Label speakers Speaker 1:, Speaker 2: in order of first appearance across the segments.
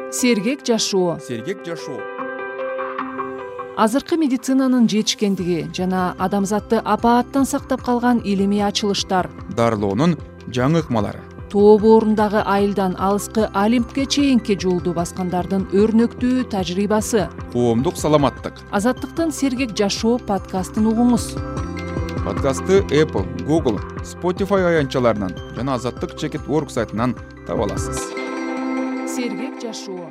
Speaker 1: Сергек жашоо. Азыркы медицинанын жетишкендиги жана адамзатты апааттан сактап калган илимий ачылыштар,
Speaker 2: дарылоонун жаңы ыкмалары,
Speaker 1: тоо боорундагы айылдан алыскы Олимпке чейинки жолду баскандардын өрнөктүү тажрыйбасы.
Speaker 2: коомдук саламаттык.
Speaker 1: Азаттыктын Сергек жашоо подкастын угуңуз.
Speaker 2: Подкастты Apple, Google, Spotify аянтчаларынан жана Азаттык.org сайтынан таба аласыз.
Speaker 1: Сергек жашоо.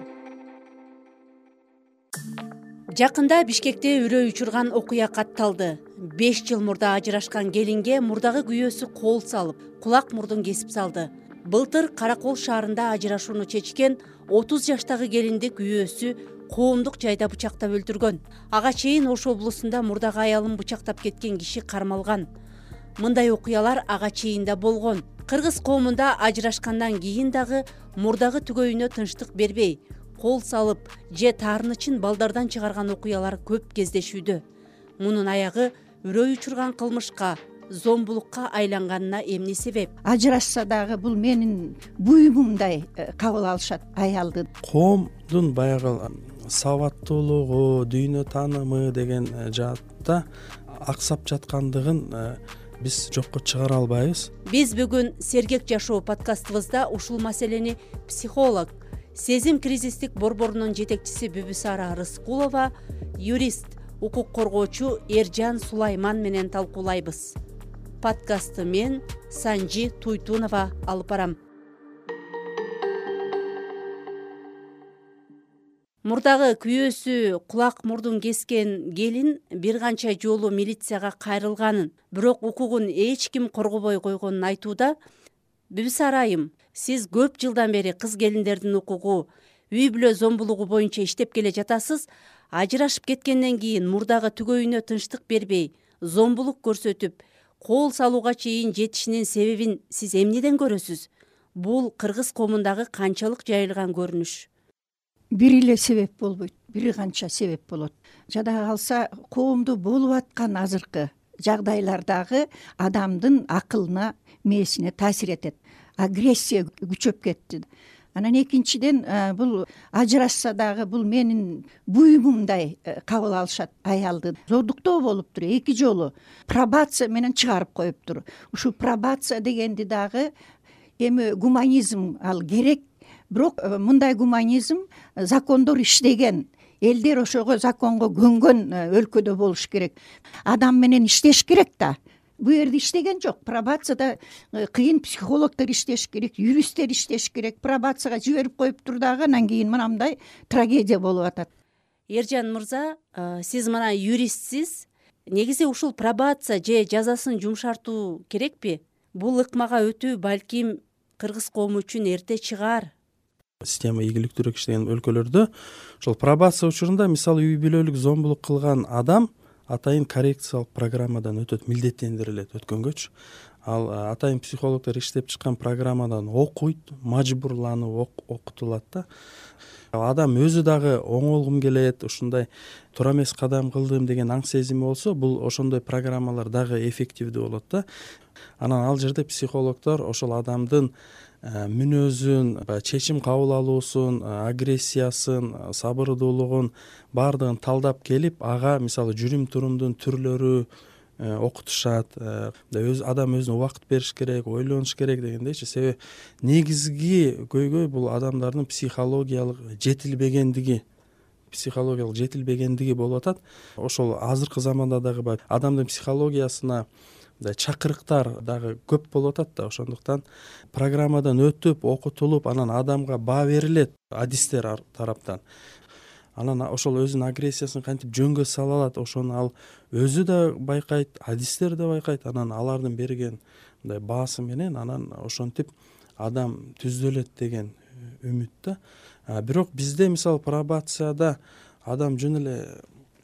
Speaker 3: Жакында Бишкекте үрөй учурган окуя катталды. 5 жыл мурда ажырашкан келинге мурдагы күйөөсү кол салып, кулак мурдун кесип салды. Былтыр Каракол шаарында ажырашууну чечкен 30 жаштагы келинди күйөөсү коомдук жайда бычактап өлтүргөн. Ага чейин Ош облусунда мурдагы аялын бычактап кеткен киши кармалган. Мындай окуялар ага чейин да болгон. Кыргыз коомунда ажырашкандан кийин дагы мурдагы түгөйүнө тынчтык бербей, кол салып же таарынычын балдардан чыгарган окуялар көп кездешүүдө. Мунун аягы үрөй учурган кылмышка, зомбулукка айланганына эмне себеп?
Speaker 4: Ажырашса дагы бул менин буюмумдай кабыл алышат аялды.
Speaker 5: Коомдун баягы сабаттуулугу, дүйнө таанымы деген жаатта аксап жаткандыгын биз жокко чыгара албайбыз.
Speaker 3: Биз бүгүн Сергек жашоо подкастыбызда ушул маселени психолог, сезим кризистик борборунун жетекчиси Бүбүсара Рыскулова, юрист, укук коргоочу Эржан Сулайман менен талкуулайбыз. Подкастты мен Санжи Туйтунова алып барам. Мурдагы күйөөсү кулак мурдун кескен келин бир канча жолу милицияга кайрылганын, бирок укугун эч ким коргобой койгонун айтууда. Бүбүсара айым, сиз көп жылдан бери кыз келиндердин укугу, үй бүлө зомбулугу боюнча иштеп келе жатасыз. Ажырашып кеткенден кийин мурдагы түгөйүнө тынчтык бербей, зомбулук көрсөтүп, кол салууга чейин жетишинин себебин сиз эмнеден көрөсүз? Бул кыргыз коомундагы канчалык жайылган көрүнүш?
Speaker 4: Бир эле себеп болбойт, бир канча себеп болот. Жада калса коомдо болуп аткан азыркы жагдайлардагы адамдын акылына, мээсине таасир этет. Агрессия күчөп кетти. Анан экинчиден бул ажырашса дагы бул менин буюмумдай кабыл алышат аялды. Зордуктоо болуптур 2 жолу. Пробация менен чыгарып коюптур. Ушул пробация дегенди дагы эми гуманизм ал керек. Бирок мындай гуманизм закондор иштеген, элдер ошого законго көнгөн өлкөдө болуш керек. Адам менен иштеш керек да. Бу жерде иштеген жок. Пробацияда кыйын психологдор иштеш керек, юристтер иштеш керек. Пробацияга жиберип коюптур дагы анан кийин мынандай трагедия болуп атат.
Speaker 3: Эржан мырза, сиз мына юристсиз. Негизи ушул пробация же жазасын жумшартуу керекпи? Бул ыкмага өтүү балким кыргыз коому үчүн эрте чыгаар.
Speaker 5: Система ийгиликтүүрөөк иштеген өлкөлөрдө ошол пробация учурунда мисалы үй бүлөлүк зомбулук кылган адам атайын коррекциялык программадан өтөт, милдеттендирилет өткөнгөчү. Ал атайын психологдор иштеп чыккан программадан окуйт, мажбурланып окутулат да. Адам өзү дагы оңолгум келет, ушундай туура эмес кадам кылдым деген аң сезими болсо, бул ошондой программалар дагы эффективдүү болот да. Анан ал жерде психологдор ошол адамдын мүнөзүн, чечим кабыл алуусун, агрессиясын, сабырдуулугун баардыгын талдап келип, ага мисалы жүрүм турумдун түрлөрү окутушат. Адам өзүнө убакыт бериш керек, ойлонуш керек дегендейчи. Себеби негизги көйгөй бул адамдардын психологиялык жетилбегендиги болуп атат. Ошол азыркы заманда дагы адамдын психологиясына чакырыктар дагы көп болуп атат да. Ошондуктан программадан өтүп, окутулуп, анан адамга баа берилет адистер тараптан. Анан ошол өзүнүн агрессиясын кантип жөнгө сала алат, ошону ал өзү да байкайт, адистер да байкайт. Анан алардын берген мындай баасы менен анан ошентип адам түзөлөт деген үмүт да. Бирок бизде мисалы пробацияда адам жөн эле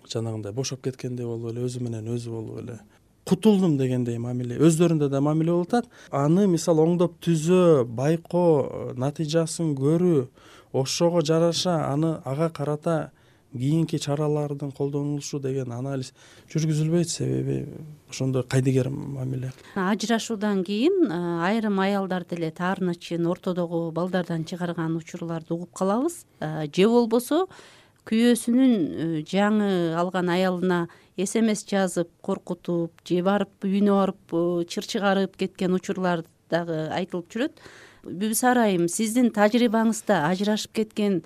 Speaker 5: жанагындай бошоп кеткендей болуп эле, өзү менен өзү болуп эле кутулдум дегендей мамиле, өздөрүндө да мамиле болуп атат. Аны мисалы оңдоп түзөө, байкоо, натыйжасын көрүү, ошого жараша ага карата кийинки чаралардын колдонулушу деген анализ жүргүзүлбөйт, себеби ошондой кайдыгер мамиле.
Speaker 3: Ажырашуудан кийин айрым аялдар деле таарыначын ортодогу балдардан чыгарган учурларды угуп калабыз. Же болбосо күйөөсүнүн жаңы алган аялына СМС жазып коркутуп, же барып үйүнө барып чыр чыгарып кеткен учурлар дагы айтылып жүрөт. Бүбүсара айым, сиздин тажрыйбаңызда ажырашып кеткен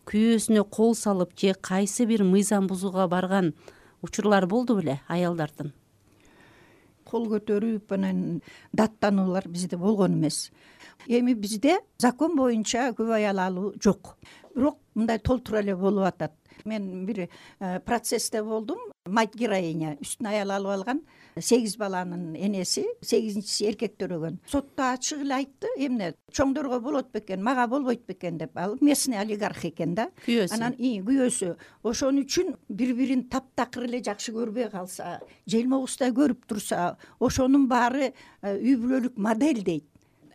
Speaker 3: күйөөсүнө кол салып же кайсы бир мыйзам бузууга барган учурлар болду беле аялдардын?
Speaker 4: Кол көтөрүп анан даттануулар бизде болгон эмес. Эми бизде закон боюнча көп аял алуу жок. Бирок мындай толтура эле болуп атат. Мен бир процессте болдум. Мать героиня үстүнө аял алып алган 8 баланын энеси, 8-инчиси эркек төрөгөн. Сотто ачык эле айтты, эмне чоңдорго болот бекен, мага болбойт бекен деп. Ал местный олигарх экен да. Анан күйөөсү ошон үчүн бири-бирин таптакыр эле жакшы көрбөй калса, желмогуздай көрүп турса, ошонун баары үй бүлөлүк модель дейт.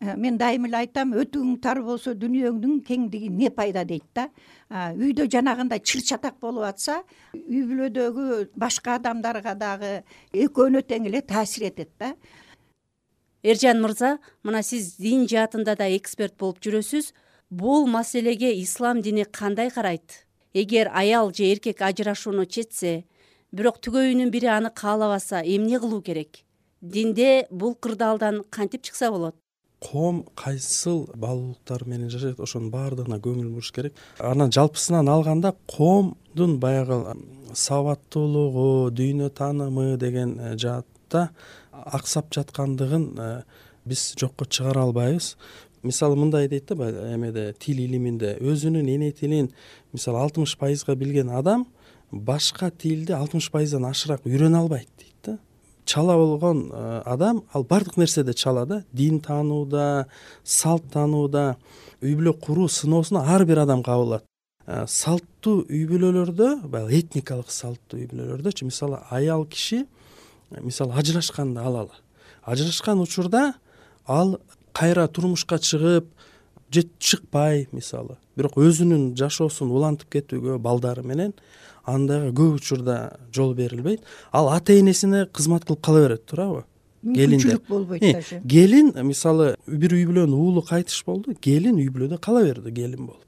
Speaker 4: Мен дайым эле айтам, өтүгүң тар болсо дүйнөңдүн кеңдиги не пайда дейт да. Үйдө жанагындай чыр-чатак болуп атса, үй бүлөдөгү башка адамдарга дагы экөөнө тең эле таасир этет да.
Speaker 3: Эржан мырза, мына сиз дин жаатында да эксперт болуп жүрөсүз. Бул маселеге ислам дини кандай карайт? Эгер аял же эркек ажырашууну чечсе, бирок түгөйүнүн бири аны каалабаса, эмне кылуу керек? Динде бул кырдаалдан кантип чыкса болот?
Speaker 5: Коом кайсыл баалуулуктар менен жашайт, ошонун баардыгына көңүл буруш керек. Анан жалпысынан алганда коомдун баягы сабаттуулугу, дүйнө таанымы деген жаатта аксап жаткандыгын биз жокко чыгара албайбыз. Мисалы мындай дейт да, эмеде тил илиминде өзүнүн эне тилин мисалы 60% билген адам башка тилди 60%дан ашыраак үйрөнө албайт дейт да. Чала болгон адам ал бардык нерседе чала да, дин таанууда, салт таанууда, үй бүлө куруу сыноосуна ар бир адам кабылат. Салттуу үй бүлөлөрдө, баягы этникалык салттуу үй бүлөлөрдөчү мисалы аял киши мисалы ажырашканды алалы. Ажырашкан учурда ал кайра турмушка чыгып же чыкпай мисалы, бирок өзүнүн жашоосун улантып кетүүгө балдары менен андайга көп учурда жол берилбейт. Ал ата энесине кызмат кылып кала берет, туурабы?
Speaker 4: Мүмкүнчүлүк болбойт даже.
Speaker 5: Келин мисалы бир үй бүлөнүн уулу кайтыш болду, келин үй бүлөдө кала берди, келин болуп.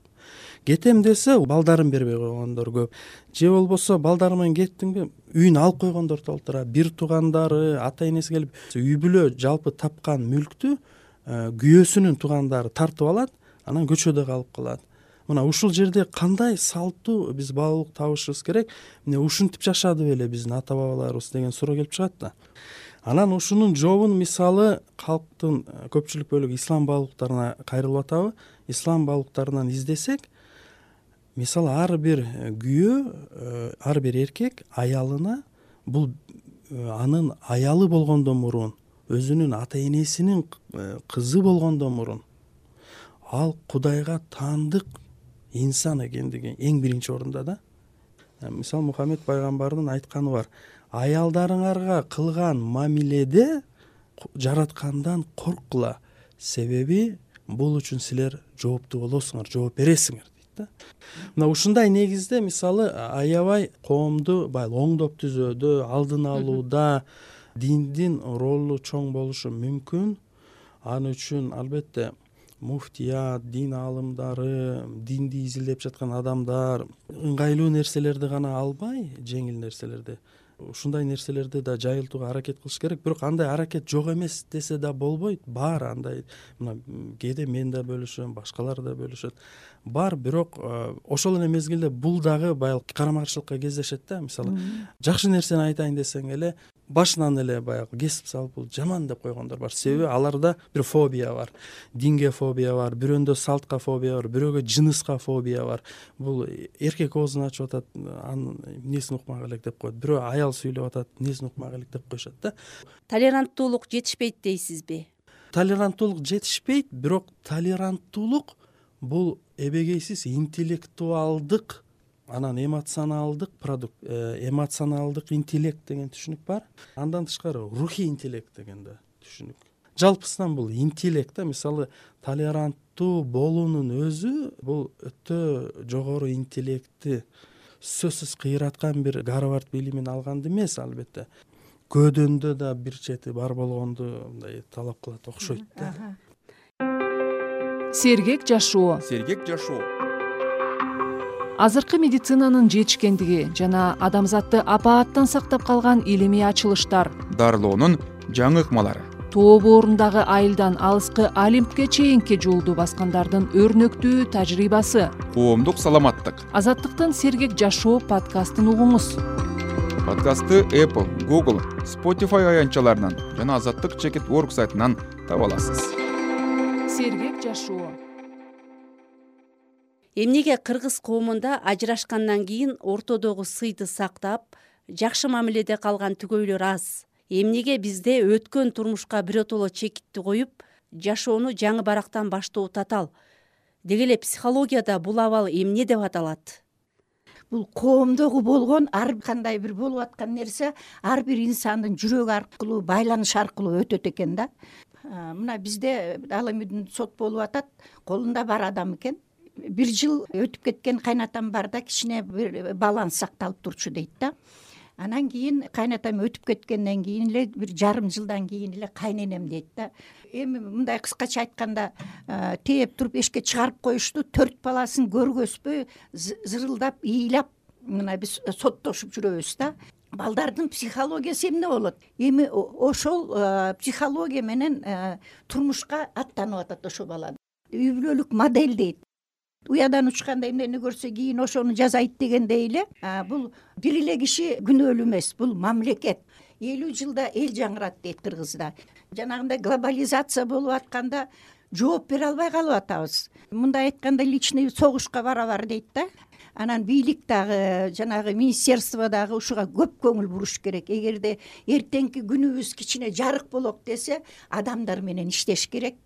Speaker 5: Кетем десе, балдарын бербей койгондор көп. Же болбосо балдары менен кеттиңби, үйүнө алып койгондор толтура, бир туугандары, ата энеси келип, үй бүлө жалпы тапкан мүлктү күйөөсүнүн туугандары тартып алат, анан көчөдө калып калат. Мына ушул жерде кандай салттуу биз баалуулук табышыбыз керек? Эмне ушинтип жашады беле биздин ата бабаларыбыз деген суроо келип чыгат да. Анан ушунун жообун мисалы калктын көпчүлүк бөлүгү ислам баалуулуктарына кайрылып атабы? Ислам баалуулуктарынан издесек, мисалы ар бир күйөө, ар бир эркек аялына бул анын аялы болгондон мурун, өзүнүн ата энесинин кызы болгондон мурун ал Кудайга таандык инсан экендиги эң биринчи орунда да. Мисалы Мухаммед пайгамбардын айтканы бар. Аялдарыңарга кылган мамиледе жараткандан корккула, себеби бул үчүн силер жооптуу болосуңар, жооп бересиңер дейт да. Мына ушундай негизде мисалы аябай коомду баягы оңдоп түзүүдө, алдын алууда диндин ролу чоң болушу мүмкүн. Аны үчүн албетте муфтият, дин аалымдары, динди изилдеп жаткан адамдар ыңгайлуу нерселерди гана албай, жеңил нерселерди, ушундай нерселерди да жайылтууга аракет кылыш керек. Бирок андай аракет жок эмес десе да болбойт. Бар андай, мына кээде мен да бөлүшөм, башкалар да бөлүшөт. Бар, бирок ошол эле мезгилде бул дагы баягы карама каршылыкка кездешет да. Мисалы жакшы нерсени айтайын десең эле башынан эле баягы кесип салып бул жаман деп койгондор бар. Себеби аларда бир фобия бар. Динге фобия бар, бирөөндө салтка фобия бар, бирөөгө жыныска фобия бар. Бул эркек оозун ачып атат, анын эмнесин укмак элек деп коет. Бирөө аял сүйлөп атат, эмнесин укмак элек деп коюшат да.
Speaker 3: Толеранттуулук жетишпейт дейсизби?
Speaker 5: Толеранттуулук жетишпейт, бирок толеранттуулук бул эбегейсиз интеллектуалдык, анан эмоционалдык продукт, эмоционалдык интеллект деген түшүнүк бар. Андан тышкары рухий интеллект деген да түшүнүк. Жалпысынан бул интеллект да, мисалы толеранттуу болуунун өзү бул өтө жогору интеллектти сөзсүз кыйраткан бир Гарвард билимин алганды эмес, албетте көөдөндө да бир чети бар болгонду мындай талап кылат окшойт да.
Speaker 1: Сергек жашоо.
Speaker 2: Сергек жашоо.
Speaker 1: Азыркы медицинанын жетишкендиги жана адамзатты апааттан сактап калган илимий ачылыштар,
Speaker 2: Дарылоонун жаңы ыкмалары.
Speaker 1: тоо боорундагы айылдан алыскы Олимпке чейинки жолду баскандардын өрнөктүү тажрыйбасы.
Speaker 2: Коомдук саламаттык.
Speaker 1: Азаттыктын Сергек жашоо подкастын угуңуз.
Speaker 2: Подкастты Apple, Google, Spotify аянтчаларынан жана Азаттык.org сайтынан таба аласыз.
Speaker 1: Сергек жашоо.
Speaker 3: Эмнеге кыргыз коомунда ажырашкандан кийин ортодогу сыйды сактап, жакшы мамиледе калган түгөйлөр аз? Эмнеге бизде өткөн турмушка биротоло чекитти коюп, жашоону жаңы барактан баштоо татаал? Деги эле психологияда бул абал эмне деп аталат?
Speaker 4: Бул коомдогу болгон ар кандай бир болуп аткан нерсе ар бир инсандын жүрөгү аркылуу, байланыш аркылуу өтөт экен да. Мына бизде ал эми сот болуп атат, колунда бар адам экен. 1 жыл өтүп кеткен кайнатам бар да, кичине бир баланс сакталып турчу дейт да. Анан кийин кайнатам өтүп кеткенден кийин эле 1,5 жылдан кийин эле кайненем дейт да. Эми мындай кыскача айтканда тээп туруп эшикке чыгарып коюшту, 4 баласын көргөзбөй зырылдап, ыйлап мына биз соттошуп жүрөбүз да. Балдардын психологиясы эмне болот? Эми ошол психология менен турмушка аттанып атат ошо бала. Үй бүлөлүк модель дейт. Уядан учканда эмнени көрсө кийин ошону жасайт дегендей эле, бул бир эле киши күнөөлүү эмес, бул мамлекет. 50 жылда эл жаңырат дейт кыргызда. Жанагындай глобализация болуп атканда жооп бере албай калып атабыз. Мындай айтканда личный согушка барабар дейт да. Анан бийлик дагы, жанагы министерство дагы ушуга көп көңүл буруш керек. Эгерде эртеңки күнүбүз кичине жарык болот десе, адамдар менен иштеш керек,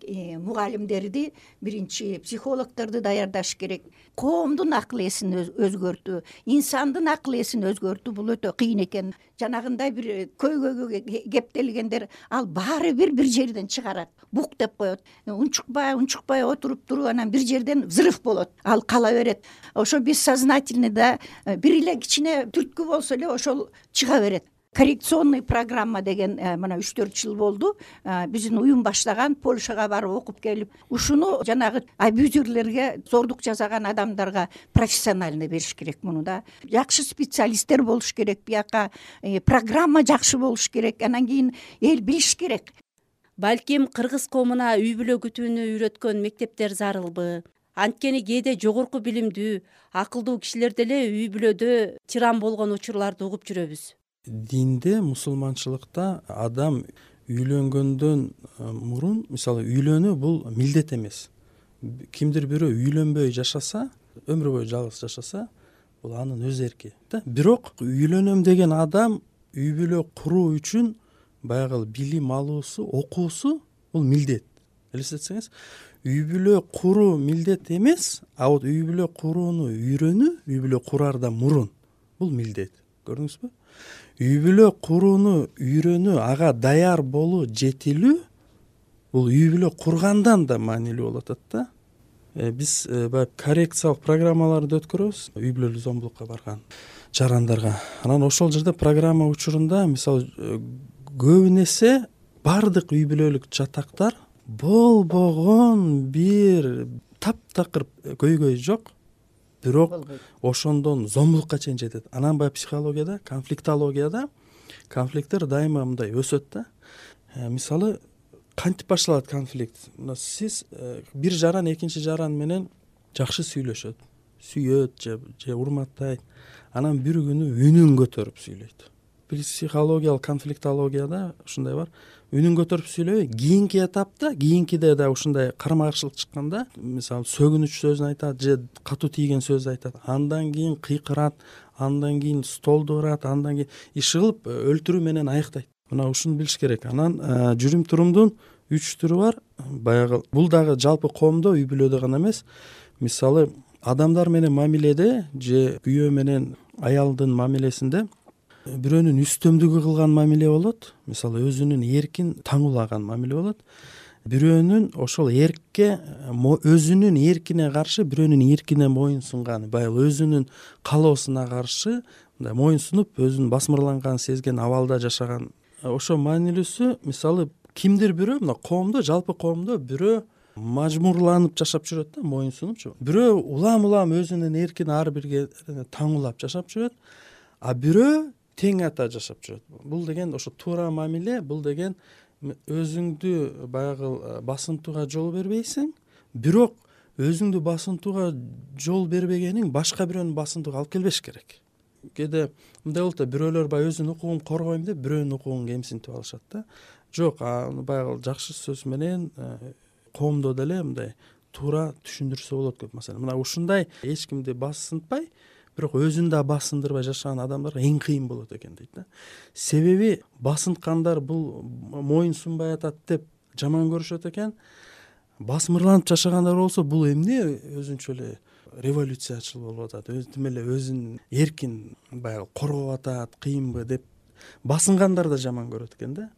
Speaker 4: мугалимдерди, биринчи психологдорду даярдаш керек. Коомдун акыл эсин өзгөртүү, инсандын акыл эсин өзгөртүү бул өтө кыйын экен. Жанагындай бир көйгөйгө кептелгендер ал баары бир жерден чыгарат, бук деп коет. Унчукпай отуруп туруп анан бир жерден взрыв болот. Ал кала берет. Ошо бессознательный да бир эле кичине түрткү болсо эле ошол чыга берет. Коррекционный программа деген мына 3-4 жыл болду. Биздин уюм баштаган, Польшага барып окуп келип, ушуну жанагы абьюзерлерге, зордук жасаган адамдарга профессионально бериш керек муну да. Жакшы специалисттер болуш керек, бияка программа жакшы болуш керек. Анан кийин эл билиш керек.
Speaker 3: Балким кыргыз коомуна үй бүлө күтүүнү үйрөткөн мектептер зарылбы? Анткени кээде жогорку билимдүү, акылдуу кишилер деле үй бүлөдө тиран болгон учурларды угуп жүрөбүз.
Speaker 5: Динде, мусулманчылыкта адам үйлөнгөндөн мурун, мисалы үйлөнүү бул милдет эмес. Кимдир бирөө үйлөнбөй жашаса, өмүр бою жалгыз жашаса, бул анын өз эрки да. Бирок үйлөнөм деген адам үй бүлө куруу үчүн баягы билим алуусу, окуусу бул милдет. Элестетсеңиз, үй бүлө куруу милдет эмес, а вот үй бүлө курууну үйрөнүү, үй бүлө кураардан мурун бул милдет. Көрдүңүзбү? Үй бүлө курууну үйрөнүү, ага даяр болуу, жетилүү бул үй бүлө кургандан да маанилүү болуп атат да. Биз баягы коррекциялык программаларды өткөрөбүз үй бүлөлүк зомбулукка барган жарандарга. Анан ошол жерде программа учурунда мисалы көбүн эсе бардык үй бүлөлүк жатактар болбогон бир таптакыр көйгөй жок, бирок ошондон зомбулукка чейин жетет. Анан баягы психологияда, конфликтологияда конфликттер дайыма мындай өсөт да. Мисалы кантип башталат конфликт? Мына сиз бир жаран экинчи жаран менен жакшы сүйлөшөт, сүйөт же урматтайт. Анан бир күнү үнүн көтөрүп сүйлөйт. Психологиялык конфликтологияда ушундай бар. Үнүн көтөрүп сүйлөбөй, кийинки этапта, кийинкиде да ушундай карама каршылык чыкканда, мисалы сөгүнүч сөзүн айтат же катуу тийген сөз айтат. Андан кийин кыйкырат, андан кийин столду урат, андан кийин иш кылып өлтүрүү менен аяктайт. Мына ушуну билиш керек. Анан жүрүм турумдун 3 түрү бар. Баягы бул дагы жалпы коомдо, үй бүлөдө гана эмес. Мисалы адамдар менен мамиледе же күйөө менен аялдын мамилесинде бирөөнүн үстөмдүгү кылган мамиле болот. Мисалы өзүнүн эркин таңуулаган мамиле болот. бирөөнүн ошол эркке өзүнүн эркине каршы бирөөнүн эркине моюн сунганы, баягы өзүнүн каалоосуна каршы мындай моюн сунуп өзүнүн басмырланганын сезген абалда жашаган. Ошо маанилүүсү мисалы кимдир бирөө мына коомдо, жалпы коомдо бирөө мажбурланып жашап жүрөт да, моюн сунупчу. Бирөө улам өзүнүн эркин ар бирге таңуулап жашап жүрөт, а бирөө тең ата жашап жүрөт. Бул деген ошо туура мамиле, бул деген өзүңдү баягы басынтууга жол бербейсиң, бирок өзүңдү басынтууга жол бербегениң башка бирөөнүн басынтууга алып келбеш керек. Кээде мындай болот да, бирөөлөр баягы өзүнүн укугун коргойм деп бирөөнүн укугун кемсинтип алышат да. Жок, баягы жакшы сөз менен коомдо деле мындай туура түшүндүрсө болот көп маселе. Мына ушундай эч кимди басынтпай, бирок өзүн да басындырбай жашаган адамдарга эң кыйын болот экен дейт да. Себеби басынткандар бул моюн сунбай атат деп жаман көрүшөт экен. Басмырланып жашагандар болсо бул эмне өзүнчө эле революциячыл болуп атат, тим эле өзүнүн эркин баягы коргоп атат, кыйынбы деп басынгандар да жаман көрөт экен да.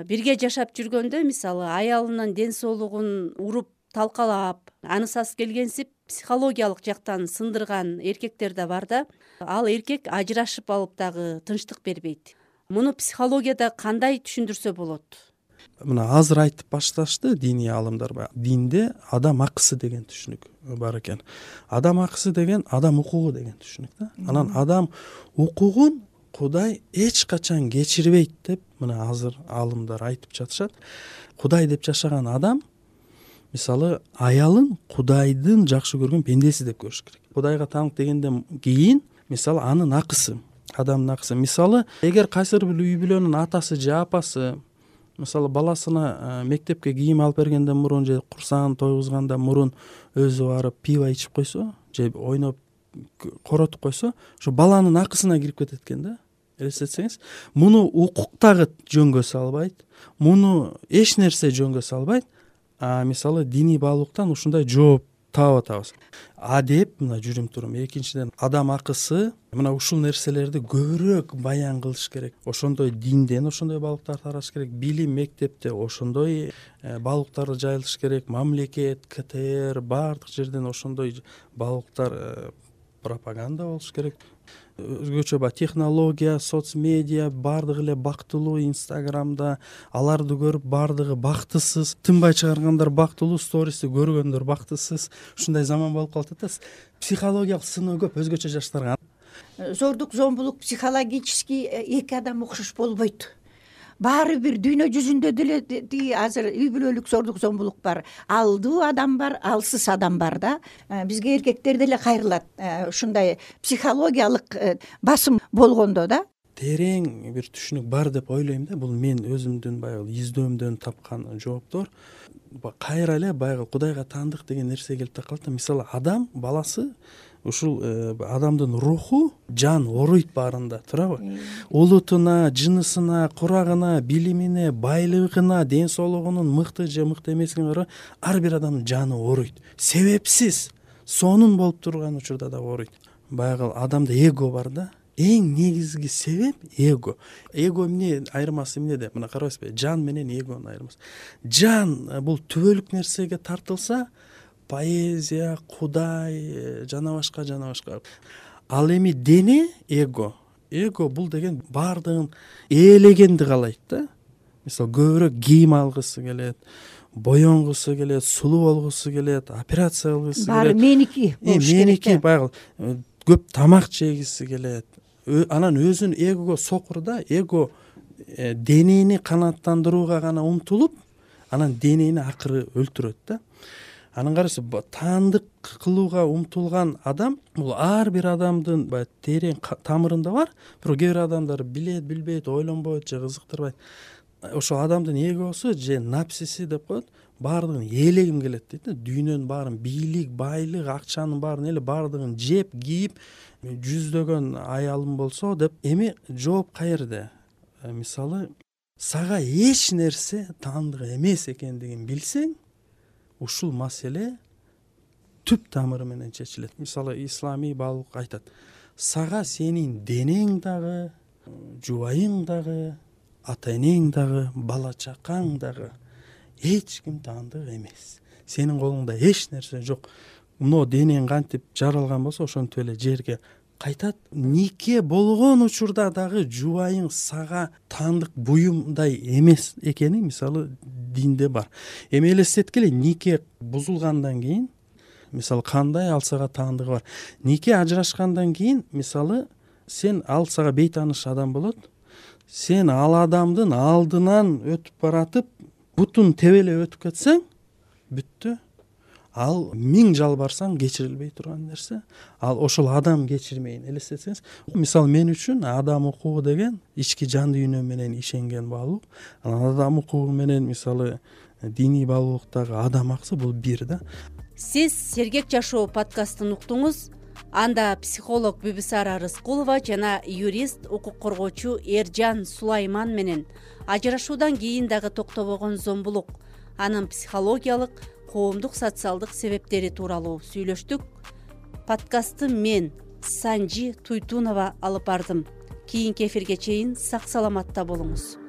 Speaker 3: Бирге жашап жүргөндө мисалы аялынын ден соолугун уруп талкалап, анысасы келгенсип психологиялык жактан сындырган эркектер да бар да. Ал эркек ажырашып алып дагы тынчтык бербейт. Муну психологияда кандай түшүндүрсө болот?
Speaker 5: Мына азыр айтып башташты диний аалымдар. Динде адам акысы деген түшүнүк бар экен. Адам акысы деген адам укугу деген түшүнүк да. Анан адам укугун Кудай эч качан кечирбейт деп мына азыр аалымдар айтып жатышат. Кудай деп жашаган адам мисалы аялын Кудайдын жакшы көргөн пендеси деп көрүш керек. Кудайга таанып дегенден кийин мисалы анын акысы, адамдын акысы. Мисалы эгер кайсыр бир үй бүлөнүн атасы же апасы мисалы баласына мектепке кийим алып бергенден мурун же курсагын тойгузгандан мурун өзү барып пиво ичип койсо же ойноп коротуп койсо, ошо баланын акысына кирип кетет экен да. Элестетсеңиз, муну укук дагы жөнгө салбайт, муну эч нерсе жөнгө салбайт. Мисалы диний баалуулуктан ушундай жооп таап атабыз. Деп мына жүрүм турум. Экинчиден адам акысы, мына ушул нерселерди көбүрөөк баян кылыш керек. Ошондой динден ошондой баалуулуктар таратыш керек. Билим мектепте ошондой баалуулуктарды жайылтыш керек. Мамлекет, КТР баардык жерден ошондой баалуулуктар пропаганда болуш керек. Өзгөчө технология, соцмедиа баардыгы эле бактылуу, Инстаграмда аларды көрүп баардыгы бактысыз, тынбай чыгаргандар бактылуу, стористи көргөндөр бактысыз. Ушундай заман болуп калат да. Психологиялык сыноо көп өзгөчө жаштарга.
Speaker 4: Зордук, зомбулук психологический эки адам окшош болбойт. Баары бир дүйнө жүзүндө деле азыр үй бүлөлүк зордук, зомбулук бар. Алдуу адам бар, алсыз адам бар да. Бизге эркектер деле кайрылат. Ушундай психологиялык басым болгондо да.
Speaker 5: Терең бир түшүнүк бар деп ойлойм да. Бул мен өзүмдүн баягы издөөмдөн тапкан жооптор. Кайра эле баягы Кудайга таандык деген нерсе келип такалат да. Мисалы адам баласы ушул адамдын руху, жан оруйт баарында, туурабы? Улутуна, жынысына, курагына, билимине, байлыгына, ден соолугунун мыкты же мыкты эмесине карап ар бир адамдын жаны оруйт. Себепсиз сонун болуп турган учурда да оруйт. Баягы адамда эго бар да. Эң негизги себеп эго. Эго эмне айырмасы эмнеде? Мына карабайсызбы? Жан менен эгонун айырмасы. Жан бул түбөлүк нерсеге тартылса, поэзия, Кудай, жана башка. Ал эми дене эго. Эго бул деген баардыгын ээлегенди каалайт да. Мисалы көбүрөөк кийим алгысы келет, боенгусу келет, сулуу болгусу келет, операция кылгысы келет.
Speaker 4: Баары меники болуш керек.
Speaker 5: Меники баягы көп тамак жегиси келет. Анан өзүн эгого сокур да, эго денени канааттандырууга гана умтулуп, анан денени акыры өлтүрөт да. Анан карайсызбы, таандык кылууга умтулган адам бул ар бир адамдын баягы терең тамырында бар. Бирок кээ бир адамдар билет, билбейт, ойлонбойт же кызыктырбайт. Ошол адамдын эгосу же напсиси деп коет, баардыгын ээлегим келет дейт да. Дүйнөнүн баарын, бийлик, байлык, акчанын баарын эле баардыгын жеп, кийип, жүздөгөн аялым болсо деп. Эми жооп каерде? Мисалы, сага эч нерсе таандык эмес экендигин билсең, ушул маселе түп тамыры менен чечилет. Мисалы, исламий баалуулук айтат: сага сенин денең дагы, жубайың дагы, ата энең дагы, бала чакаң дагы эч ким таандык эмес, сенин колуңда эч нерсе жок. Мына денең кантип жаралган болсо ошентип эле жерге кайтат. Нике болгон учурда дагы жубайың сага таандык буюмдай эмес экени мисалы динде бар. Эми элестеткиле, нике бузулгандан кийин мисалы кандай ал сага таандыгы бар. Нике ажырашкандан кийин мисалы сен ал сага бейтааныш адам болот. Сен ал адамдын алдынан өтүп баратып, бутун тебелеп өтүп кетсең, бүттү. Ал 1000 жалбарсаң кечирилбей турган нерсе. Ал ошол адам кечирмейин элестетсеңиз. Мисалы мен үчүн адам укугу деген ички жан дүйнө менен ишенген баалуу. Адам укугу менен мисалы диний баалуулуктагы адам акысы бул бир да.
Speaker 3: Сиз Сергек жашоо подкастын уктуңуз. Анда психолог Бүбүсара Рыскулова жана юрист, укук коргоочу Эржан Сулайман менен ажырашуудан кийин дагы токтобогон зомбулук, анын психологиялык, коомдук, социалдык себептери тууралуу сүйлөштүк. Подкастты мен, Санжи Туйтунова алып бардым. Кийинки эфирге чейин сак саламатта болуңуз.